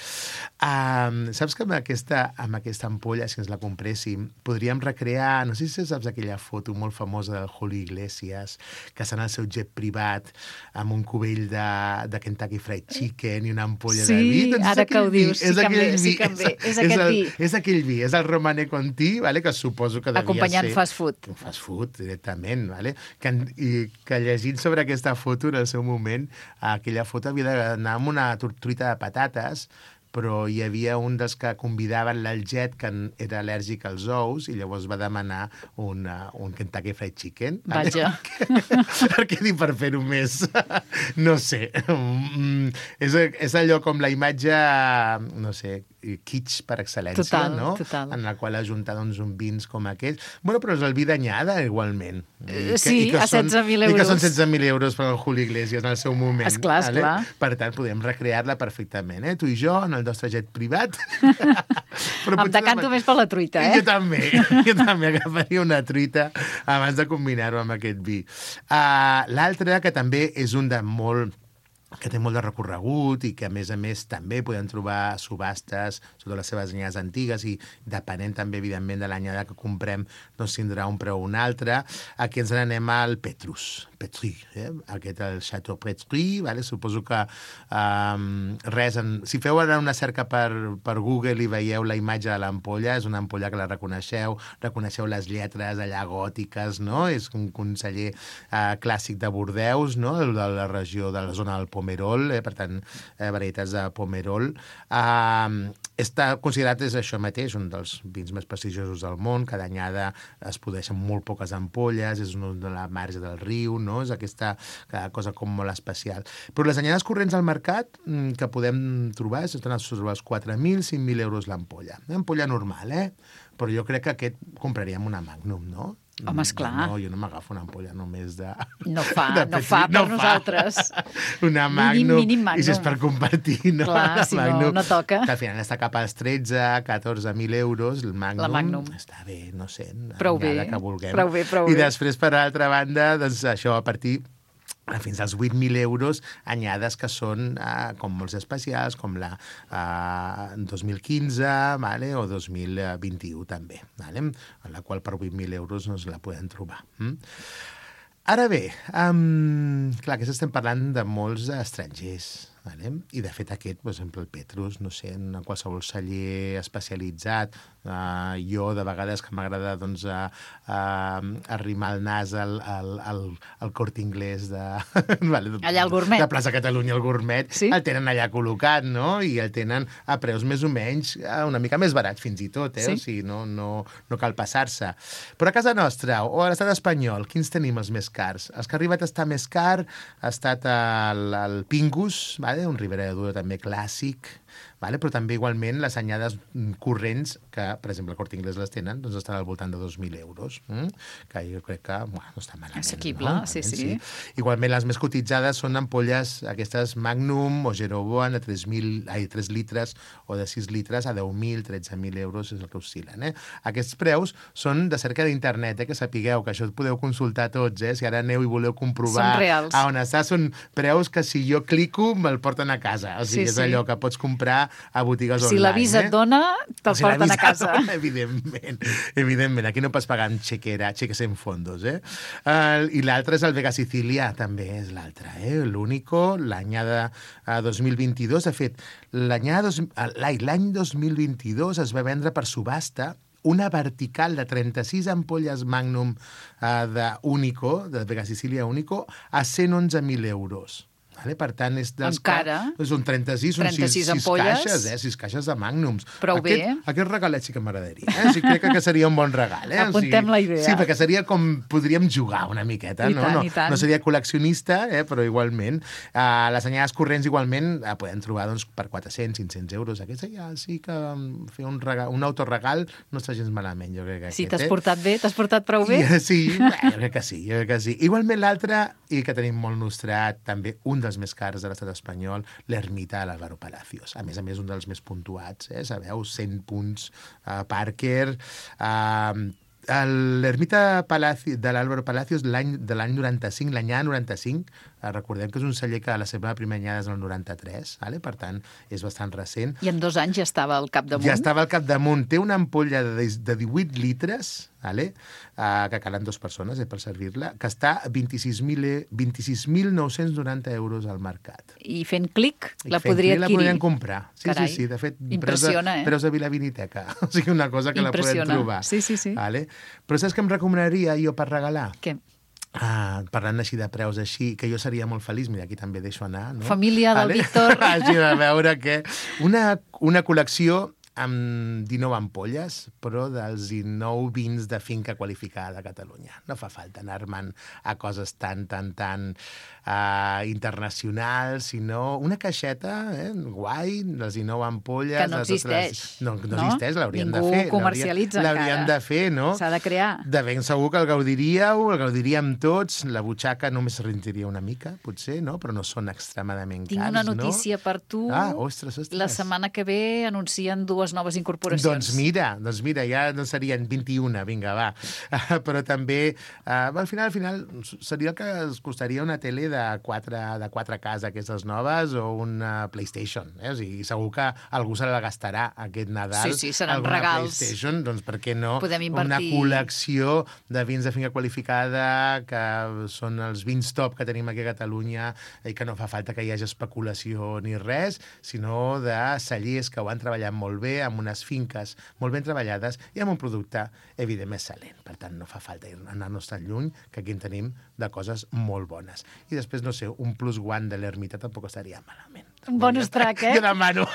Saps que amb aquesta ampolla, si ens la compréssim, podríem recrear, no sé si saps aquella foto molt famosa del Julio Iglesias, que està en el seu jet privat amb un cubell de Kentucky Fried Chicken i una ampolla de vi. Sí, ara que ho dius, sí que em ve. És aquest vi. És aquell vi, és el Romanée Conti, que suposo que devia ser... Acompanyant fast food. Fast food, directament, que llegint sobre aquesta foto en el seu moment, aquella foto havia d'anar amb una truita de patates, però hi havia un dels que convidaven l'Alget que era al·lèrgic als ous i llavors va demanar un Kentucky Fried Chicken. Vaja. Perquè dic, per fer-ho més, no sé, és allò com la imatge, no sé, kitsch per excel·lència, total, no? Total. En la qual ajuntar doncs, un vins com aquest. Bueno, però és el vi d'anyada, igualment. Sí, a 16.000 euros. I que són 16.000 euros per al Julio Iglesias en el seu moment. Esclar. Per tant, podem recrear-la perfectament, tu i jo, en el nostre jet privat. Em decanto més per la truita, Jo també agafaria una truita abans de combinar-ho amb aquest vi. L'altre, que també és un de que té molt de recorregut i que, a més també podem trobar subhastes sobre les seves anyades antigues i depenent també, evidentment, de l'anyada que comprem, doncs tindrà un preu o un altre. Aquí ens n'anem al Petrus, aquest el Chateau Petrus, suposo que si feu ara una cerca per Google i veieu la imatge de l'ampolla, és una ampolla que la reconeixeu les lletres allà gòtiques, no? És un conseller clàssic de Bordeus, no? De la regió, de la zona del Pomerol, per tant, varietats de Pomerol. Està considerat, és això mateix, un dels vins més prestigiosos del món. Cada anyada es produeixen molt poques ampolles, és una de la marge del riu, no? És aquesta cosa com molt especial. Però les anyades corrents al mercat que podem trobar estan sobre els 4.000, 5.000 euros l'ampolla. Una ampolla normal, Però jo crec que aquest compraríem una Magnum, no? Home, esclar. No, jo no m'agafo una ampolla només de... No fa per nosaltres. Una Magnum. Mínim Magnum. I si és per compartir, no? Clar, si no toca. Que al final està cap als 14.000 euros, el Magnum. La Magnum. Està bé, no sé. Prou bé. Que vulguem. Prou bé. I després, per altra banda, doncs això, a partir fins als 8.000 euros, anyades que són com molts especials, com la 2015 o 2021 també, en la qual per 8.000 euros no la podem trobar. Ara bé, clar, que estem parlant de molts estrangers, Vale? I, de fet, aquest, per exemple, el Petrus, no sé, en qualsevol celler especialitzat, jo, de vegades, que m'agrada doncs, arrimar el nas al Corte Inglés de... Allà al Gourmet. De Plaça Catalunya, el Gourmet, sí? El tenen allà col·locat, no? I el tenen a preus més o menys una mica més barats, fins i tot, Sí? O sigui, no cal passar-se. Però a casa nostra, o a l'estat espanyol, quins tenim els més cars? Els que ha arribat a estar més car ha estat el Pingus, vale? Un Ribera de Duero també clàssic, vale? Però també igualment les anyades corrents, que per exemple el Corte Inglés les tenen, doncs estan al voltant de 2.000 euros, que jo crec que no està malament. Assequible, no? sí. Igualment les més cotitzades són ampolles aquestes Magnum o Jeroboam de 3 litres o de 6 litres a 10.000, 13.000 euros és el que oscil·len. Aquests preus són de cerca d'internet, que sapigueu que això ho podeu consultar tots, si ara aneu i voleu comprovar a on està, són preus que si jo clico me'l porten a casa, o sigui, és allò que pots comprar a botigues online. Si l'avisa et dona, te'l porten a casa. Evidentment. Aquí no pots pagar amb cheques en fondos. I l'altre és el Vega Sicilia, també és l'altre. L'Único, l'anyada 2022. De fet, l'any 2022 es va vendre per subhasta una vertical de 36 ampolles Magnum d'Único, de Vega Sicilia Único, a 111.000 euros. Vale? Per tant, és dels són 36, són 6 caixes, 6 caixes de Magnums. Prou bé. Aquest regalet sí que m'agradaria. Sí, crec que seria un bon regal. Apuntem la idea. Sí, perquè seria com podríem jugar una miqueta. I tant. No seria col·leccionista, però igualment. Les anyades corrents igualment podem trobar doncs, per 400, 500 euros. Aquesta ja sí que fer un autoregal no està gens malament, jo crec que sí, t'has portat bé? T'has portat prou bé? Sí, jo crec que sí. Igualment l'altre, i que tenim molt nostrat, també un dels més cars de l'estat espanyol, l'Ermita de l'Álvaro Palacios. A més, un dels més puntuats, sabeu, 100 punts, Parker... L'Ermita de l'Álvaro Palacios de l'any 95, l'anyada 95, recordem que és un celler que la seva primera anyada és el 93, per tant, és bastant recent. I en 2 anys ja estava al capdamunt? Ja estava al capdamunt. Té una ampolla de 18 litres, que calen 2 persones per servir-la, que està a 26.990 euros al mercat. I fent clic la podria adquirir? La podrien comprar. Sí. De fet, preus de Vilaviniteca. O sigui, una cosa que la podem trobar. Sí. Però saps què em recomanaria jo per regalar? Què? Parlant així de preus així, que jo seria molt feliç, mira, aquí també deixo anar, no? Família del Víctor. Així de veure que una col·lecció amb 19 ampolles, però dels 19 vins de finca qualificada de Catalunya. No fa falta anar-me'n a coses tan internacionals, sinó una caixeta guai, les 19 ampolles... Que no existeix. No existeix, l'hauríem de fer. Ningú comercialitza encara. L'hauríem de fer, no? S'ha de crear. De ben segur que el gaudiríem tots, la butxaca només rentiria una mica, potser, no? Però no són extremadament cars, no? Tinc una notícia per tu. Ostres. La setmana que ve anuncien 2 noves incorporacions. Doncs mira, ja no serien 21, vinga, va. Però també, al final seria el que es costaria una tele de 4K d'aquestes noves o una PlayStation. O sigui, segur que algú se la gastarà aquest Nadal. Sí, seran regals. PlayStation, doncs per què no? Podem invertir. Una col·lecció de vins de finca qualificada que són els vins top que tenim aquí a Catalunya i que no fa falta que hi hagi especulació ni res, sinó de cellers que ho han treballat molt bé, amb unes finques molt ben treballades i amb un producte, evidentment, excel·lent. Per tant, no fa falta anar-nos tan lluny, que aquí en tenim de coses molt bones. I després, no sé, un plus one de l'Ermita tampoc estaria malament. Un bonus track, Jo demano.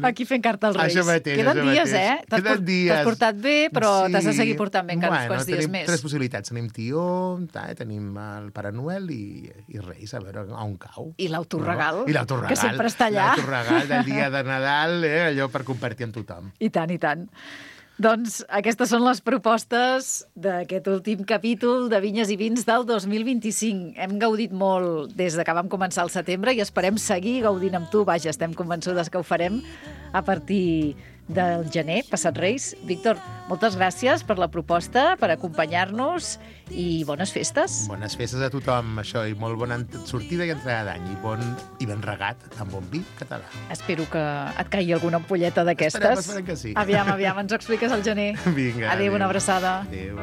Aquí fent carta als Reis. Això mateix, Queden dies, Queden dies. T'has portat bé, però t'has de seguir portant bé encara uns quants dies més. Tenim 3 possibilitats. Tenim Tió, tenim el Pare Noel i Reis, a veure on cau. I l'autoregal, I l'autoregal, que sempre està allà. L'autoregal del dia de Nadal, allò per compartir amb tothom. I tant. Doncs aquestes són les propostes d'aquest últim capítol de Vinyes i Vins del 2025. Hem gaudit molt des que vam començar el setembre i esperem seguir gaudint amb tu. Vaja, estem convençudes que ho farem a partir del gener, passat Reis. Víctor, moltes gràcies per la proposta, per acompanyar-nos i bones festes. Bones festes a tothom, això, i molt bona sortida i entrada d'any, i ben regat amb bon vi català. Espero que et caigui alguna ampolleta d'aquestes. Esperem que sí. Aviam, ens ho expliques al gener. Vinga. Adéu, una abraçada. Adéu.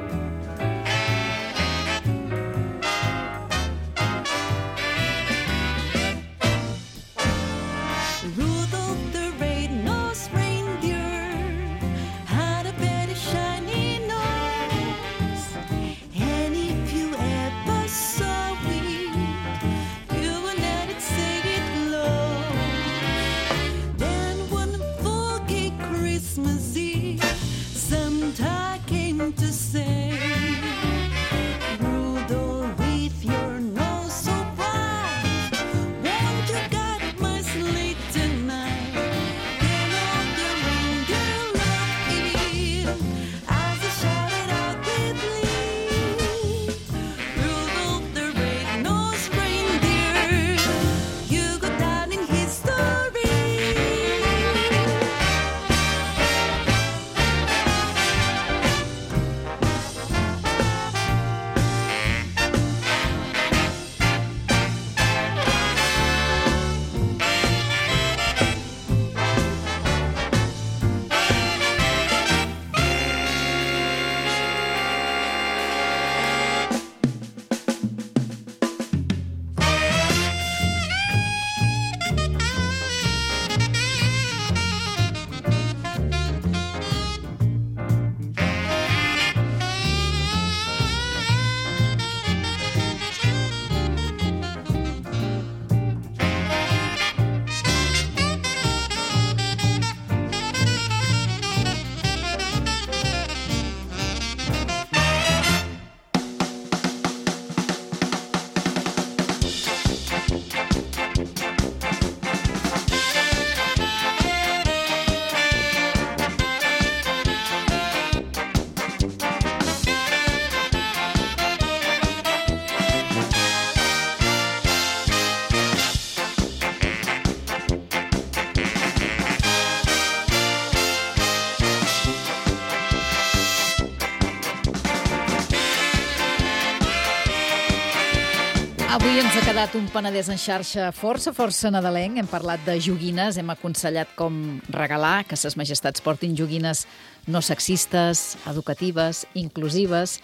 Avui ens ha quedat un Penedès en xarxa força nadalenc. Hem parlat de joguines, hem aconsellat com regalar, que ses majestats portin joguines no sexistes, educatives, inclusives.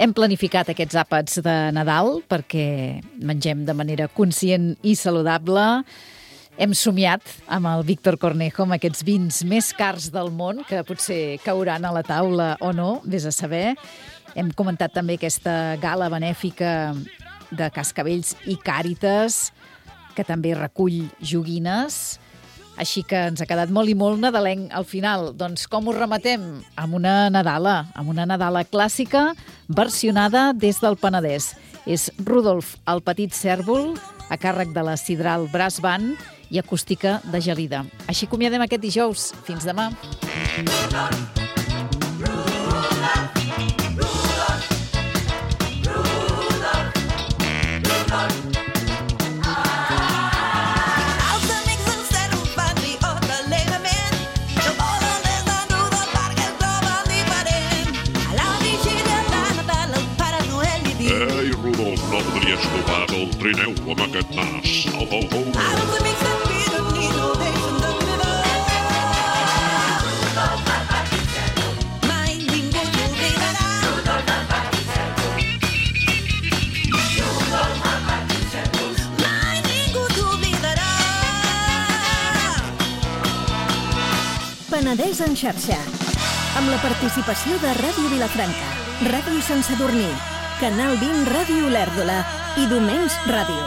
Hem planificat aquests àpats de Nadal perquè mengem de manera conscient i saludable. Hem somiat amb el Víctor Cornejo amb aquests vins més cars del món, que potser cauran a la taula o no, vés a saber. Hem comentat també aquesta gala benèfica de Cascavells i Càritas, que també recull joguines. Així que ens ha quedat molt i molt nadalenc al final. Doncs com ho rematem? Amb una Nadala clàssica versionada des del Penedès. És Rudolf el Petit Cèrvol, a càrrec de la Sidral Brass Band i acústica de Gelida. Així acomiadem aquest dijous. Fins demà. No podries tocar el trineu amb aquest nas. Au, au, au. Els amics d'en Pironí no deixen de mai ningú t'oblidarà. Mai ningú t'oblidarà. Penedès en xarxa. Amb la participació de Ràdio Vilafranca, Ràdio Sant Sadurní, Canal 20 Ràdio Olèrdola i Domens Ràdio.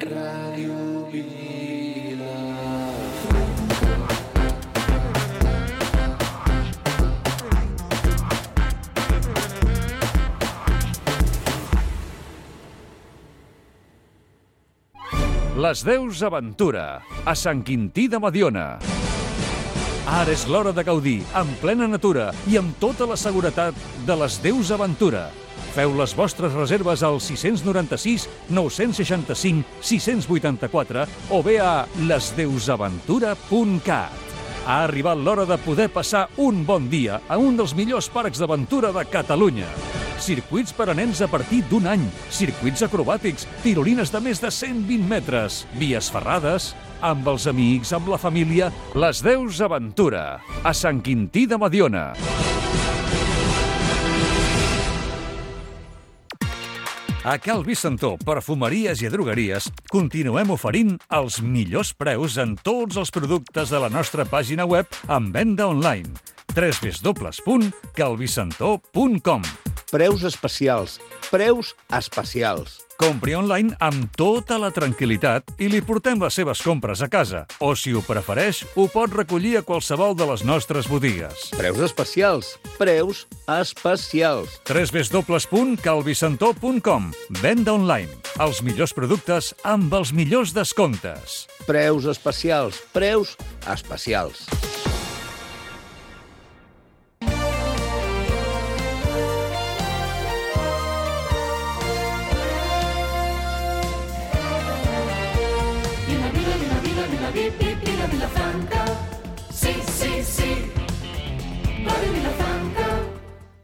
Ràdio Vilafranca. Les Deus Aventura, a Sant Quintí de Mediona. Ara és l'hora de gaudir, en plena natura i amb tota la seguretat de les Deus Aventura. Feu les vostres reserves al 696 965 684 o bé a lesdeusaventura.cat. Ha arribat l'hora de poder passar un bon dia a un dels millors parcs d'aventura de Catalunya. Circuits per a nens a partir d'un any, circuits acrobàtics, tirolines de més de 120 metres, vies ferrades, amb els amics, amb la família, les Deus Aventura, a Sant Quintí de Mediona. A Cal Vicentó, perfumeries i drogueries, continuem oferint els millors preus en tots els productes de la nostra pàgina web en venda online. www.calvicentó.com. Preus especials. Preus especials. Compri online amb tota la tranquil·litat i li portem les seves compres a casa. O, si ho prefereix, ho pot recollir a qualsevol de les nostres botigues. Preus especials. Preus especials. www.calvicentó.com. Venda online. Els millors productes amb els millors descomptes. Preus especials. Preus especials.